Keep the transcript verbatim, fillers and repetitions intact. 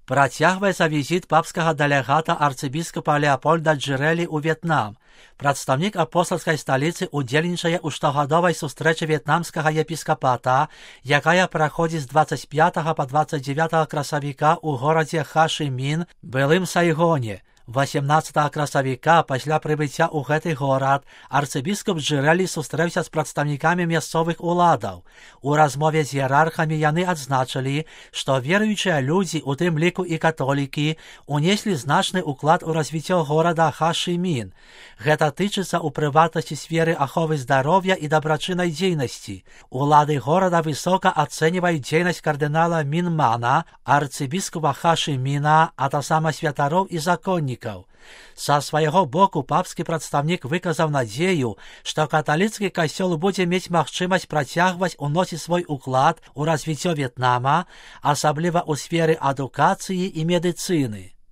Працягваецца візіт папскага дэлегата арцыбіскапа Леапольда Джырэлі ў В'етнам. Прадстаўнік апостальскай сталіцы удзельнічае ў штогадовай сустрэчы в'етнамскага епіскапата, якая праходзіць з дваццаць пятага па дваццаць дзевятага красавіка ў горадзе Ха-Ши-Мін, былым Сайгоне. восемнадцатага красавіка пасля прыбыцця ў гэты горад арцыбіскап Джырэлі сустрэўся з прадстаўнікамі мясцовых уладаў. У размове з іерархамі яны адзначылі, што веруючыя людзі, у тым ліку і католікі, унеслі значны ўклад у развіццё горада Ха-Ши-Мін. Гэта тычыцца ў прыватнасці сферы аховы здароўя і дабрачыннай дзейнасці. Улады горада высока ацэньваюць дзейнасць кардынала Мінмана, арцыбіскапа Ха-Ши-Міна, а таксама святароў і законнікаў. Са свайго боку папскі прадстаўнік выказаў надзею, што каталіцкі касцёл будзе мець магчымасць працягваць уносіць свой уклад у развіццё В'етнама, асабліва ў сферы адукацыі і медыцыны.